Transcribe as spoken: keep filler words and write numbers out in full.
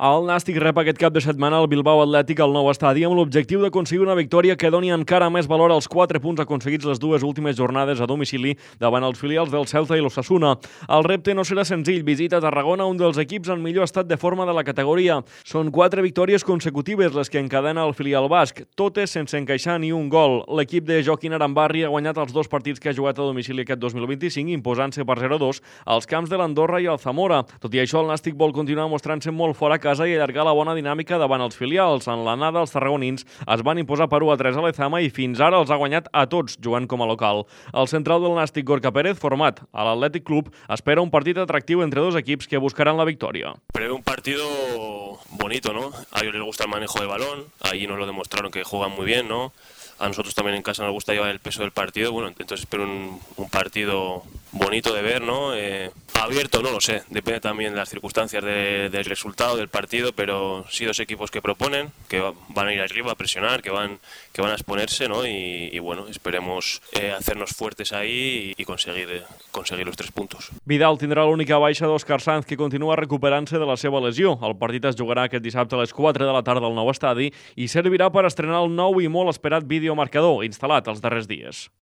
El Nàstic rep aquest cap de setmana el Bilbao Atlètic al nou estadi amb l'objectiu d'aconseguir una victòria que doni encara més valor als quatre punts aconseguits les dues últimes jornades a domicili davant els filials del Celta i l'Osasuna. El repte no serà senzill, visita Tarragona, un dels equips en millor estat de forma de la categoria. Són quatre victòries consecutives les que encadena el filial basc, totes sense encaixar ni un gol. L'equip de Joaquín Arambarri ha guanyat els dos partits que ha jugat a domicili aquest dos mil vint-i-cinc, imposant-se per zero a dos als camps de l'Andorra i el Zamora. Tot i això, el Nàstic vol continuar mostrant-se molt fora a casa i allargar la bona dinàmica davant els filials. En l'anada, els tarragonins es van imposar per u a tres a l'Ezama i fins ara els ha guanyat a tots, jugant com a local. El central del Nàstic, Gorka Pérez, format a l'Atlètic Club, espera un partit atractiu entre dos equips que buscaran la victòria. Prevé un partido bonito, ¿no? A ellos les gusta el manejo de balón, ahí nos lo demostraron que juegan muy bien, ¿no? A nosotros también en casa nos gusta llevar el peso del partido, bueno, entonces espero un, un partido bonito de ver, ¿no? Eh, abierto, no lo sé, depende también de las circunstancias de, del resultado del partido, pero sí dos equipos que proponen, que van a ir arriba a presionar, que van, que van a exponerse, ¿no? Y, y bueno, esperemos eh, hacernos fuertes ahí y, y conseguir, eh, conseguir los tres puntos. Vidal tindrà l'única baixa d'Òscar Sanz, que continua recuperant-se de la seva lesió. El partit es jugarà aquest dissabte a les quatre de la tarda al nou estadi i servirà per estrenar el nou i molt esperat videomarcador instal·lat els darrers dies.